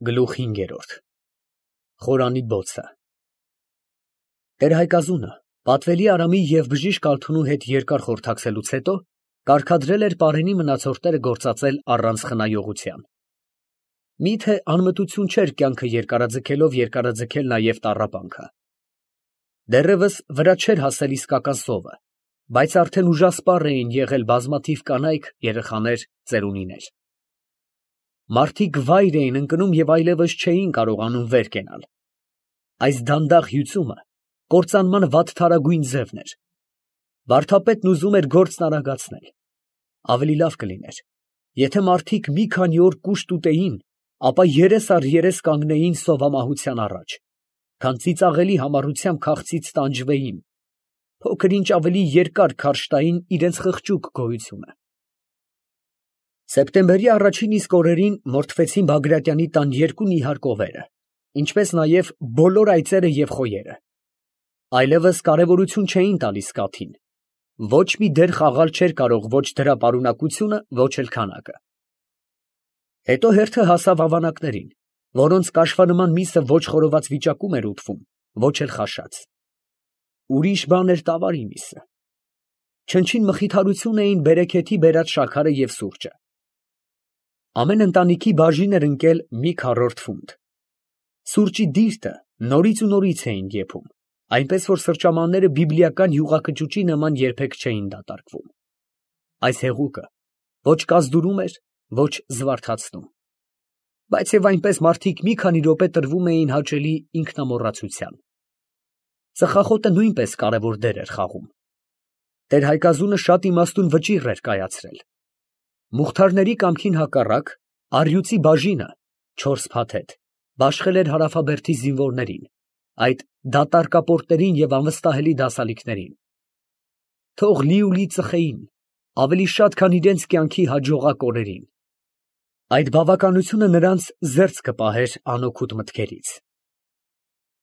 Գլուխ 5 Խորանի բոցը Տեր-Հայկազունը պատվելի Արամի և բժիշկ Ալթունու հետ երկար խորհրդակցելուց հետո կարգադրել էր պարենի մնացորդները գործածել առանց խնայողության. միթե անմտություն չէր կյանքը երկարաձգելով երկարաձգել նաև տառապանքը. դեռևս վրա չէր հասել իսկական սովը, բայց արդեն ուժասպառ էին եղել բազմաթիվ կանայք, երեխաներ, ծերունիներ. Մարդիկ վայր էին ընկնում և այլևս չէին կարողանում վեր կենալ. այս դանդաղ հյուծումը կործանման վատթարագույն ձևն էր. վարդապետն ուզում էր գործն արագացնել. ավելի լավ կլիներ, եթե մարդիկ մի քանի օր կուշտ ուտեին, ապա երես առ երես կանգնեին սովամահության առաջ, քան ծիծաղելի համառությամբ քաղցից տանջվեին, փոքր ինչ ավելի երկար քարշ տային իրենց խղճուկ գոյությունը. Սեպտեմբերի առաջին իսկ օրերին մորթվեցին Բագրատյանի տան երկու նիհար կովերը, ինչպես նաև բոլոր այծերը և խոյերը. այլևս կարևորություն չէին տալիս կաթին, ոչ մի դեր խաղալ չէր կարող ոչ դրա պարունակությունը, ոչ էլ քանակը. Հետո հերթը հասավ ավանակներին, որոնց կաշվանման միսը ոչ խորոված վիճակում էր ուտվում, ոչ էլ խաշած. ուրիշ բան էր տավարի միսը. չնչին մխիթարություն էին բերեքեթի բերած շաքարը և սուրճը. ամեն ընտանիքի բաժին էր ընկել մի քառորդ ֆունտ. Սուրճի դիրտը նորից ու նորից էին եփում, այնպես որ սրճամանները բիբլիական յուղակճուճի նման երբեք չէին դատարկվում. այս հեղուկը ոչ կազդուրում էր, ոչ զվարթացնում. բայց և այնպես մարդիկ մի քանի րոպե տրվում էին հաճելի ինքնամոռացության. ծխախոտը նույնպես կարևոր դեր էր խաղում. Տեր-Հայկազունը շատ իմաստուն վճիռ էր կայացրել. Մուղթարների կամքին հակառակ, առյուծի բաժինը (4 փաթեթ) բաշխել էր Հարավաբերդի զինվորներին, այդ դատարկապորտներին և անվստահելի դասալիկներին. թող լիուլի ծխեին, ավելի շատ, քան իրենց կյանքի հաջողակ օրերին. այդ բավականությունը նրանց զերծ կպահեր անօգուտ մտքերից.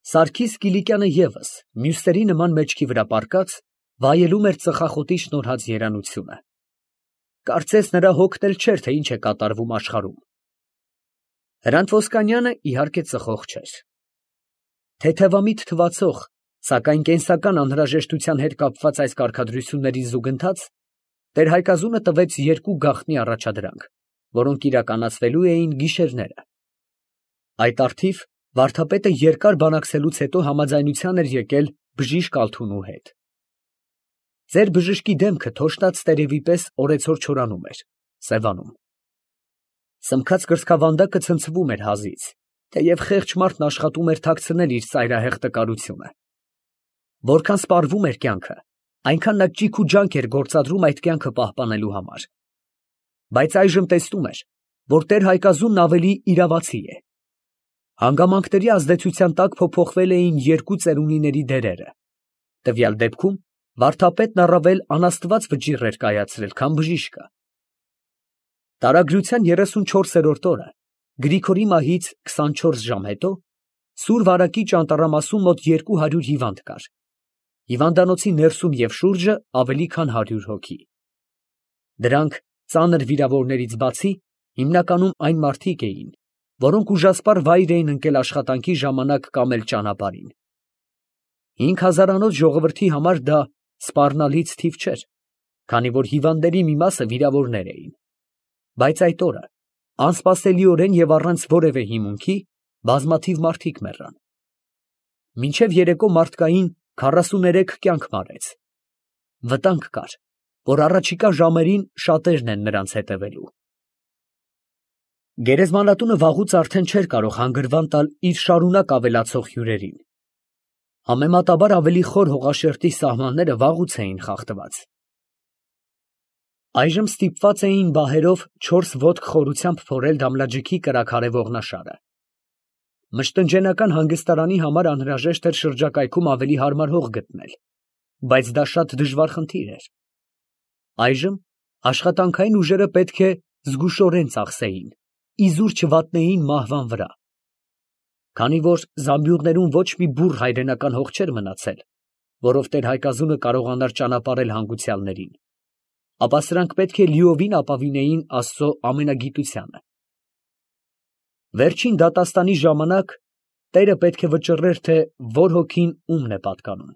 Սարգիս Կիլիկյանը ևս, մյուսների նման մեջքի վրա պառկած, վայելում էր ծխախոտի շնորհած երանությունը. կարծես նրա հոգն էլ չէր, թե ինչ է կատարվում աշխարհում. Հրանտ Ոսկանյանը իհարկե ծխող չէր. թեթևամիտ թվացող, սակայն կենսական անհրաժեշտության հետ կապված այս կարգադրությունների զուգընթաց, Տեր-Հայկազունը տվեց երկու գաղտնի առաջադրանք, որոնք իրականացվելու էին գիշերները. այդ առթիվ վարդապետը երկար բանակցելուց հետո համաձայնության էր եկել բժիշկ Ալթունու հետ. ձեր բժշկի դեմքը թոշտաց տերևի պես օրեցօր չորանում էր, սևանում. սմքած կրծքավանդակը ցնցվում էր հազից, թեև խեղճ մարդն աշխատում էր թաքցնել իր ծայրահեղ տկարությունը. որքան սպառվում էր կյանքը, այնքան նա ճիգ ու ջանք էր գործադրում այդ կյանքը պահպանելու համար. բայց այժմ տեսնում էր, որ Տեր-Հայկազունն ավելի իրավացի է. հանգամանքների ազդեցության տակ փոփոխվել էին երկու ծերունիների դերերը. տվյալ դեպքում վարդապետն առավել անաստված վճիռ էր կայացրել, քան բժիշկը. Տարագրության 34-րդ օրը, Գրիգորի մահից 24 ժամ հետո, Սուր Վարակի ճանտառամասում մոտ 200 հիվանդ կար. հիվանդանոցի ներսում և շուրջը ավելի քան 100 հոգի. դրանք ծանր վիրավորներից բացի, հիմնականում այն մարդիկ էին, որոնք ուժասպառ վայր էին ընկել աշխատանքի ժամանակ կամ էլ ճանապարհին. 5000-անոց ժողովրդի համար դա սպառնալից թիվ չէր, քանի որ հիվանդների մի մասը վիրավորներ էին. բայց այդ օրը, անսպասելիորեն և առանց որևէ հիմունքի, բազմաթիվ մարդիկ մեռան. մինչև երեկո մարդկային 43 կյանք մարեց. վտանգ կար, որ առաջիկա ժամերին շատերն են նրանց հետևելու. Գերեզմանատունը վաղուց արդեն չէր կարող հանգրվան տալ իր շարունակ ավելացող հյուրերին. համեմատաբար ավելի խոր հողաշերտի սահմանները վաղուց էին խախտված. այժմ ստիպված էին բահերով 4 ոտք խորությամբ փորել Դամլաջիքի կրաքարե ողնաշարը. մշտնջենական հանգստարանի համար անհրաժեշտ էր շրջակայքում ավելի հարմար հող գտնել, բայց դա շատ դժվար խնդիր էր. այժմ աշխատանքային ուժերը պետք է զգուշորեն ծախսեին, իզուր չվատնեին մահվան վրա. քանի որ զամբյուղներում ոչ մի բուռ հայրենական հող չէր մնացել, որով Տեր-Հայկազունը կարողանար ճանապարհել հանգուցյալներին, ապա սրանք պետք է լիովին ապավինեին Աստծո ամենագիտությանը. Վերջին դատաստանի ժամանակ տերը պետք է վճռեր, թե որ հոգին ումն է պատկանում։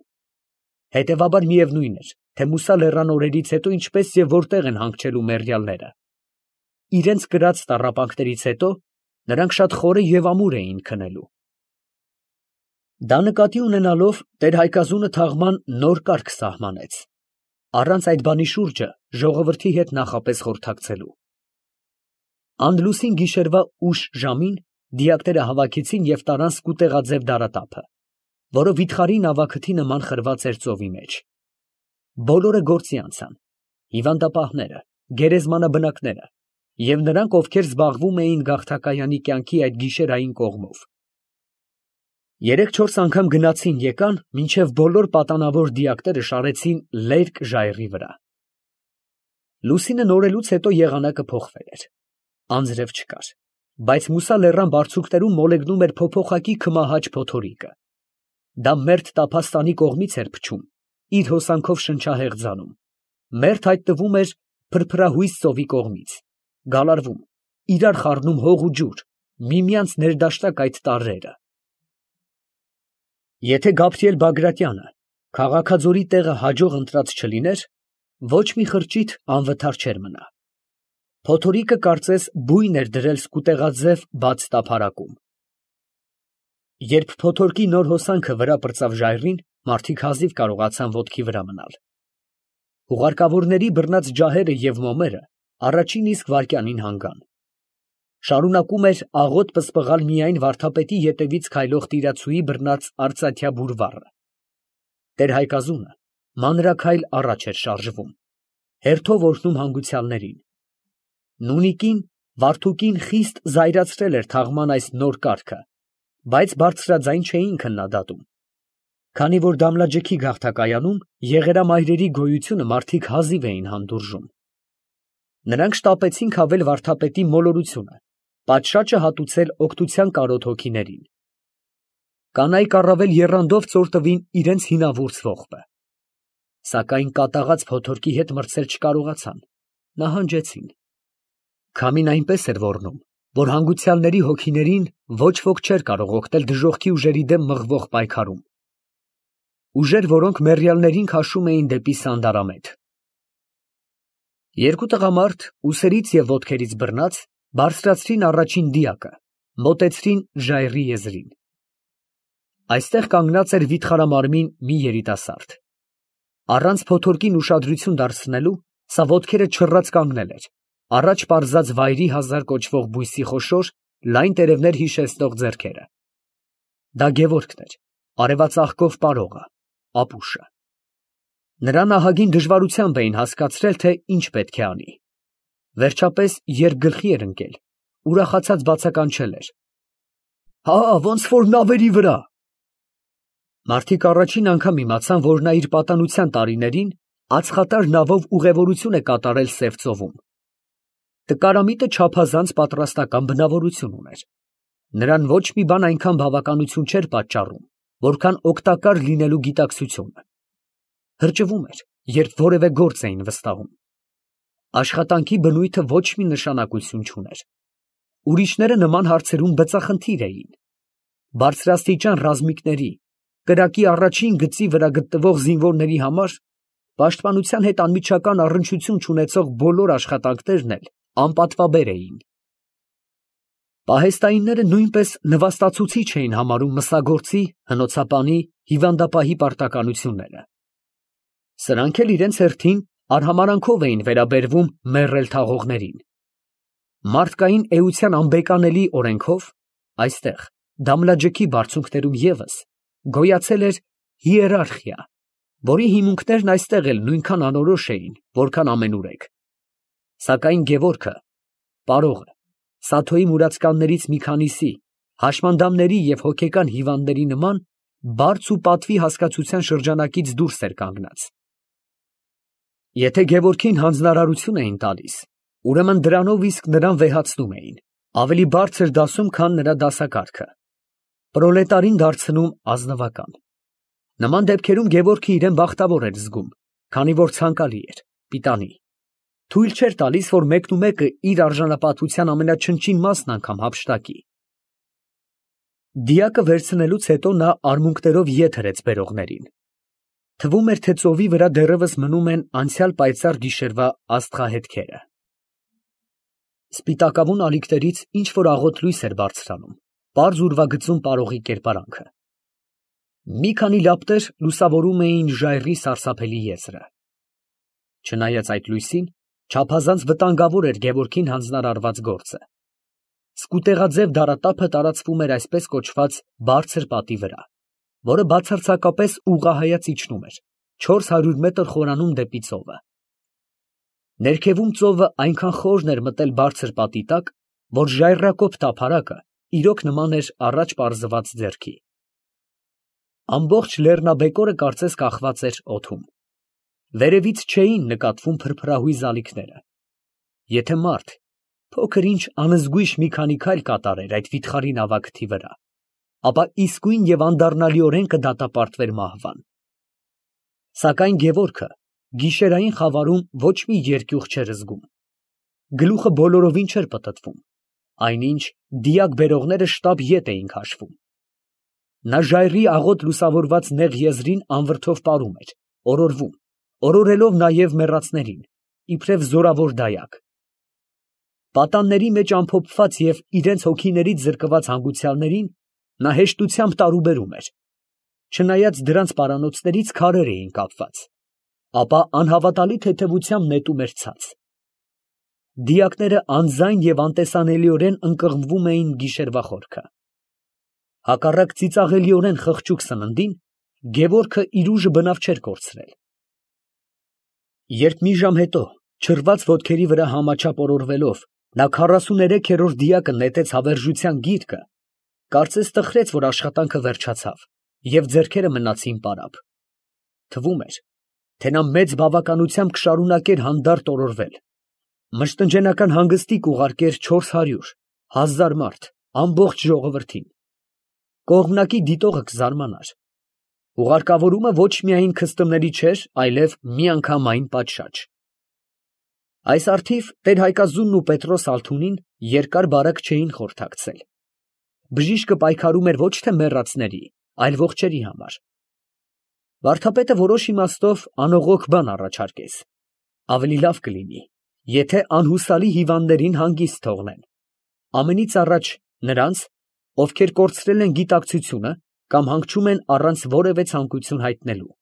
Հետևաբար միևնույն էր, թե Մուսա լեռան օրերից հետո ինչպես և որտեղ են հանգչելու մեռյալները։ Իրենց կրած տառապանքներից հետո նրանք շատ խորը և ամուր էին քնելու։ Դա նկատի ունենալով տեր-Հայկազունը թաղման նոր կարգ սահմանեց, առանց այդ բանի շուրջը ժողովրդի հետ նախապես խորհրդակցելու։ Անդլուսին գիշերվա ուշ ժամին դիակները հավաքեցին և տարան սկուտեղաձև դարատափը, որը վիթխարի նավաքթի նման խրված էր ծովի մեջ։ Բոլորը գործի անցան, հիվանդապահները, գերեզմանաբնակները և նրանք, ովքեր զբաղվում էին գաղթակայանի կյանքի այդ գիշերային կողմով։ 3-4 անգամ գնացին եկան, մինչև բոլոր պատանավոր դիակները շարեցին լերկ ժայռի վրա։ Լուսինը նորելուց հետո եղանակը փոխվել էր, անձրև չկար, բայց Մուսա լեռան բարձունքներում մոլեգնում էր փոփոխակի քմահաճ փոթորիկը։ Դա մերթ տափաստանի կողմից էր փչում, իր հոսանքով շնչահեղձանում, մերթ հայտնվում էր փրփրահույս ծովի կողմից, գալարվում, իրար խառնում հող ու ջուր, միմյանց ներդաշնակ այդ տարրերը։ Եթե Գաբրիել Բագրատյանը քաղաքաձորի տեղը հաջող ընտրած չլիներ, ոչ մի խրճիթ անվթար չէր մնա։ Փոթորիկը կարծես բույն էր դրել սկուտեղաձև բաց տափարակում։ Երբ փոթորկի նոր հոսանքը վրա պրծավ ժայռին, մարդիկ հազիվ կարողացան ոտքի վրա մնալ։ Հուղարկավորների բռնած ջահերը և մոմերը առաջին իսկ վայրկյանին հանգան։ Շարունակում էր աղոտ պսպղալ միայն վարդապետի ետևից քայլող տիրացուի բռնած արծաթյա բուրվառը։ Տեր-Հայկազունը մանրաքայլ առաջ էր շարժվում, հերթով օրհնում հանգուցյալներին։ Նունիկին, Վարդուկին խիստ զայրացրել էր թաղման այս նոր կարգը, բայց բարձրաձայն չէին քննադատում, քանի որ Դամլաջեքի գաղթակայանում եղերամայրերի գոյությունը մարդիկ հազիվ էին հանդուրժում։ Նրանք շտապեցին քավել վարդապետի մոլորությունը, պատշաճը հատուցել օգնության կարոտ հոգիներին։ Կանայք առավել եռանդով ծոր տվին իրենց հինավուրց ողբը, սակայն կատաղած փոթորկի հետ մրցել չկարողացան, նահանջեցին։ Քամին այնպես էր ոռնում, որ հանգուցյալների հոգիներին ոչ ոք չէր կարող օգնել դժոխքի ուժերի դեմ մղվող պայքարում։ Ուժեր, որոնք մեռյալներին քաշում էին դեպի սանդարամետ։ Երկու տղամարդ, ուսերից և ոտքերից բռնած, բարձրացրին առաջին դիակը, մոտեցրին ժայռի եզրին։ Այստեղ կանգնած էր վիթխարամարմին մի երիտասարդ։ Առանց փոթորկին ուշադրություն դարձնելու, սա ոտքերը չռած կանգնել էր, առաջ պարզած վայրի հազար կոչվող բույսի խոշոր, լայն տերևներ հիշեցնող ձեռքերը։ Դա Գևորգն էր, արևածաղկով պարողը, ապուշը։ Նրան ահագին դժվարությամբ էին հասկացրել, թե ինչ պետք է անի։ Վերջապես, երբ գլխի էր ընկել, ուրախացած բացականչել էր. «Հա, ոնց որ նավերի վրա»։ Մարդիկ առաջին անգամ իմացան, որ նա իր պատանության տարիներին ածխատար նավով ուղևորություն է կատարել Սև ծովում։ Տկարամիտը չափազանց պատրաստական բնավորություն ուներ։ Նրան ոչ մի բան այնքան բավականություն չէր պատճառում, որքան օգտակար լինելու գիտակցությունը։ Հրճվում էր, երբ որևէ գործ էին վստահում։ Աշխատանքի բնույթը ոչ մի նշանակություն չուներ։ Ուրիշները նման հարցերում բծախնդիր էին։ Բարձրաստիճան ռազմիկների, կրակի առաջին գծի վրա գտնվող զինվորների համար պաշտպանության հետ անմիջական առնչություն չունեցող բոլոր աշխատանքներն էլ անպատվաբեր էին։ Պահեստայինները նույնպես նվաստացուցիչ էին համարում մսագործի, հնոցապանի, հիվանդապահի պարտականությունները։ Սրանք էլ իրենց հերթին արհամարանքով էին վերաբերվում մեռել թաղողներին։ Մարդկային էության անբեկանելի օրենքով այստեղ Դամլաջեքի բարձունքներում ևս գոյացել էր հիերարխիա, որի հիմունքներն այստեղ էլ նույնքան անորոշ էին, որքան ամենուրեք։ Սակայն Գևորգը, պարողը, Սաթոյի մուրացկաններից մի քանիսի, հաշմանդամների և հոգեկան հիվանդների նման բարձ ու պատվի հասկացության շրջանակից դուրս էր կանգնած։ Եթե Գևորգին հանձնարարություն էին տալիս, ուրեմն դրանով իսկ նրան վեհացնում էին, ավելի բարձր դասում, քան նրա դասակարգը, պրոլետարին դարձնում ազնվական։ Նման դեպքերում Գևորգը իրեն բախտավոր էր զգում, քանի որ ցանկալի էր, պիտանի։ Թույլ չէր տալիս, որ մեկնումեկը իր արժանապատվության ամենաչնչին մասն անգամ հափշտակի, Դիակը վերցնելուց հետո նա արմունկներով ետ հրեց բերողներին։ Թվում էր, թե ծովի վրա դեռևս մնում են անցյալ պայծառ գիշերվա աստղահետքերը։ Սպիտակավուն ալիքներից ինչ որ աղոտ լույս էր բարձրանում, պարզ ուրվագծում պարողի կերպարանքը։ Մի քանի լապտեր լուսավորում էին ժայռի սարսափելի եզրը։ Չնայած այդ լույսին, չափազանց վտանգավոր էր Գևորգին հանձնարարված գործը։ Սկուտեղաձև դարատափը տարածվում էր այսպես կոչված բարձր պատի վրա, որը բացարձակապես ուղղահայաց իջնում էր 400 մետր խորանում դեպի ծովը։ Ներքևում ծովը այնքան խորն էր մտել բարձր պատի տակ, որ ժայռակոպ տափարակը իրոք նման էր առաջ պարզված ձեռքի։ Ամբողջ լեռնաբեկորը կարծես կախված էր օդում։ Վերևից չէին նկատվում փրփրահույզ ալիքները։ Եթե մարդ փոքր ինչ անզգույշ մի քանի քայլ կատարեր այդ վիթխարի նավակթի վրա, ապա իսկույն և անդառնալիորեն կդատապարտվեր մահվան։ Սակայն Գևորգը գիշերային խավարում ոչ մի երկյուղ չէր զգում։ Գլուխը բոլորովին չէր պտտվում, այնինչ դիակ բերողները շտապ ետ էին քաշվում։ Նա ժայռի աղոտ լուսավորված նեղ եզրին անվրդով պարում էր, օրորվում, օրորելով նաև մեռածներին, իբրև զորավոր դայակ։ Պատանների մեջ ամփոփված և իրենց հոգիներից զրկված հանգուցյալներին նա հեշտությամբ տարուբերում էր, չնայած դրանց պարանոցներից քարեր էին կապված, ապա անհավատալի թեթևությամբ նետում էր ցած։ Դիակները անձայն և անտեսանելիորեն ընկղմվում էին գիշերվա խորքը։ Հակառակ ծիծաղելիորեն խղճուկ սննդին, Գևորգը իր ուժը բնավ չէր կորցրել։ Երբ մի ժամ հետո, չռված ոտքերի վրա համաչափ օրորվելով, նա 43-րդ դիակը նետեց հավերժության գիրկը, կարծես տխրեց, որ աշխատանքը վերջացավ, և ձեռքերը մնացին պարապ։ Թվում էր, թե նա մեծ բավականությամբ կշարունակեր հանդարտ օրորվել, մշտնջենական հանգստի կուղարկեր 400, 1000 մարդ, ամբողջ ժողովրդին։ Կողմնակի դիտողը կզարմանար։ Ուղարկավորումը ոչ միայն քստմների չէր, այլև միանգամայն պատշաճ։ Այս առթիվ տեր-Հայկազունն ու Պետրոս Ալթունին երկար֊բարակ չէին խորհրդակցել։ Բժիշկը պայքարում էր ոչ թե մեռածների, այլ ողջերի համար։ Վարդապետը որոշ իմաստով անողոք բան առաջարկեց. ավելի լավ կլինի, եթե անհուսալի հիվանդներին հանգիստ թողնեն, ամենից առաջ նրանց, ովքեր կորցրել են գիտակցությունը կամ հանգչում են առանց որևէ ցանկություն հայտնելու։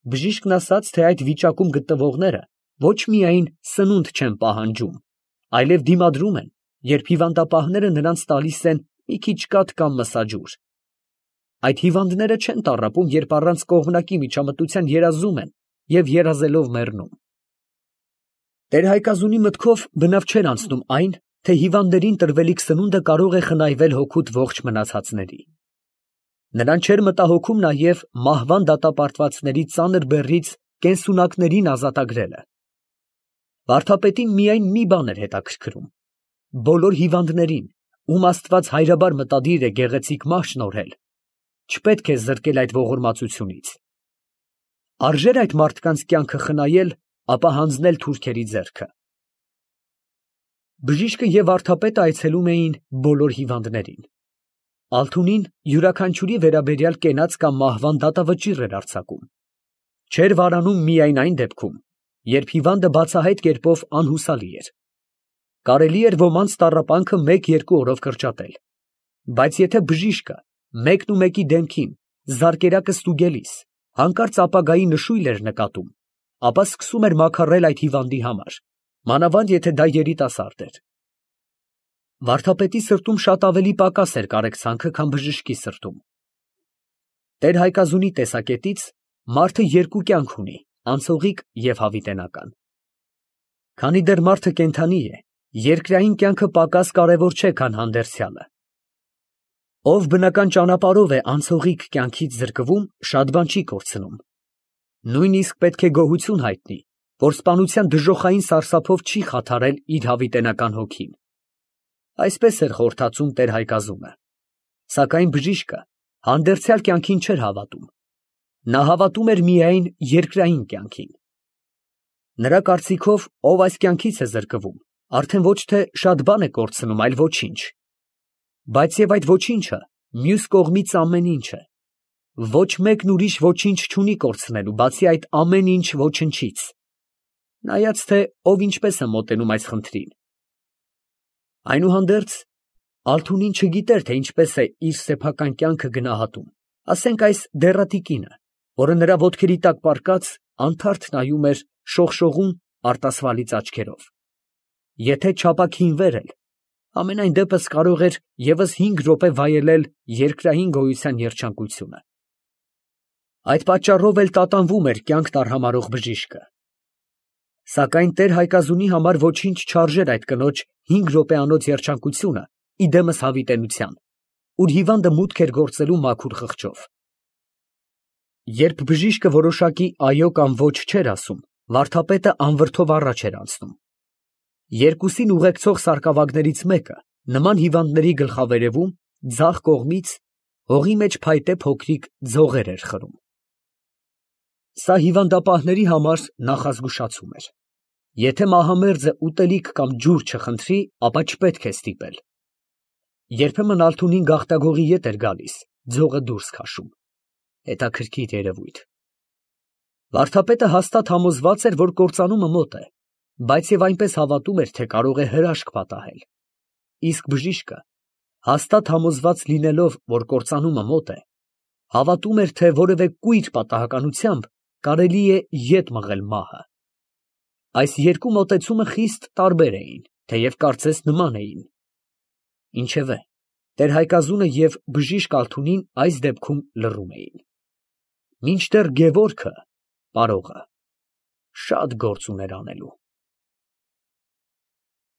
Բժիշկն ասաց, թե այդ վիճակում գտնվողները ոչ միայն սնունդ չեն պահանջում, այլև դիմադրում են, երբ հիվանդապահները նրանց տալիս են մի քիչ կաթ կամ մսաջուր։ Այդ հիվանդները չեն տառապում, երբ առանց կողմնակի միջամտության երազում են և երազելով մեռնում։ Տեր-Հայկազունի մտքով բնավ չէր անցնում այն, թե հիվանդներին տրվելիք սնունդը կարող է խնայվել հոգուտ ողջ մնացածների։ Նրան չէր մտահոգում նաև մահվան դատապարտվածների ծանր բեռից կենսունակներին ազատագրելը։ Վարդապետին միայն մի բան էր հետաքրքրում. բոլոր հիվանդներին, ում Աստված հայրաբար մտադիր է գեղեցիկ մահ շնորհել, չպետք է զրկել այդ ողորմածությունից։ Արժե՞ր այդ մարդկանց կյանքը խնայել, ապա հանձնել թուրքերի ձեռքը։ Բժիշկը և վարդապետը այցելում էին բոլոր հիվանդներին։ Ալթունին յուրաքանչյուրի վերաբերյալ կենաց կամ մահվան դատավճիռ էր արձակում։ Չէր վարանում միայն այն դեպքում, երբ հիվանդը բացահայտ կերպով անհուսալի էր։ Կարելի էր ոմանց տառապանքը 1-2 օրով կրճատել, բայց եթե բժիշկը մեկնումեկի դեմքին զարկերակը ստուգելիս հանկարծ ապագայի նշույլ էր նկատում, ապա սկսում էր մաքարել այդ հիվանդի համար, մանավանդ եթե դա երիտասարդ էր։ Վարդապետի սրտում շատ ավելի պակաս էր կարեկցանքը, քան բժշկի սրտում։ Տեր-Հայկազունի տեսակետից մարդը երկու կյանք ունի, անցողիկ և հավիտենական։ Քանի դեռ մարդը կենդանի է, երկրային կյանքը պակաս կարևոր չէ, քան հանդերձյալը։ Ով բնական ճանապարհով է անցողիկ կյանքից զրկվում, շատ բան չի կորցնում։ Նույնիսկ պետք է գոհություն հայտնի, որ սպանության դժոխային սարսափով չի խաթարել իր հավիտենական հոգին։ Այսպես էր խորհրդածում Տեր-Հայկազունը։ Սակայն բժիշկը հանդերձյալ կյանքին չէր հավատում։ Նա հավատում էր միայն երկրային կյանքին։ Նրա կարծիքով, ով այս կյանքից է զրկվում, արդեն ոչ թե շատ բան է կորցնում, այլ ոչինչ։ Բայց և այդ ոչինչը Մյուս կողմից ամեն ինչ է։ Ոչ մեկն ուրիշ ոչինչ չունի կորցնելու, բացի այդ ամեն ինչ ոչնչից։ Նայած թե ով ինչպես է մոտենում այս խնդրին։ Այնուհանդերձ, Ալթունին չգիտեր, թե ինչպես է իր սեփական կյանքը գնահատում, ասենք այս դեռատի կինը, որը նրա ոտքերի տակ պառկած անթարթ նայում էր շողշողուն արտասվալից աչքերով։ Եթե չապաքինվեր էլ, ամենայն դեպս կարող էր ևս 5 րոպե վայելել երկրային գոյության երջանկությունը։ Այդ պատճառով էլ տատանվում էր կյանք տարհամարող բժիշկը։ Սակայն տեր Հայկազունի համար ոչինչ չարժեր այդ կնոջ 5 րոպեանոց երջանկությունը իդեմս հավիտենության, ուր հիվանդը մուտք էր գործելու մաքուր խղճով։ Երբ բժիշկը որոշակի այո կամ ոչ չէր ասում, վարդապետը անվրդով առաջ էր անցնում։ Երկուսին ուղեկցող սարկավագներից մեկը նման հիվանդների գլխավերևում ձախ կողմից հողի մեջ փայտե փոքրիկ ձողեր էր խրում։ Սա հիվանդապահների համար նախազգուշացում էր։ Եթե մահամերձը ուտելիք կամ ջուր չխնդրի, ապա չպետք է ստիպել։ Երբեմն Ալթունին գաղտագողի ետ էր գալիս, ձողը դուրս քաշում։ Հետաքրքիր երևույթ։ Վարդապետը հաստատ համոզված էր, որ կործանումը մոտ է, բայց և այնպես հավատում էր, թե կարող է հրաշք պատահել։ Իսկ բժիշկը, հաստատ համոզված լինելով, որ կործանումը մոտ է, հավատում էր, թե որևէ կույր պատահականությամբ կարելի է ետ մղել մահը։ Այս երկու մոտեցումը խիստ տարբեր էին, թեև կարծես նման էին։ Ինչևէ, տեր Հայկազունը և բժիշկ Ալթունին այս դեպքում լռում էին։ Մինչդեռ Գևորգը, պարողը, շատ գործ ուներ անելու։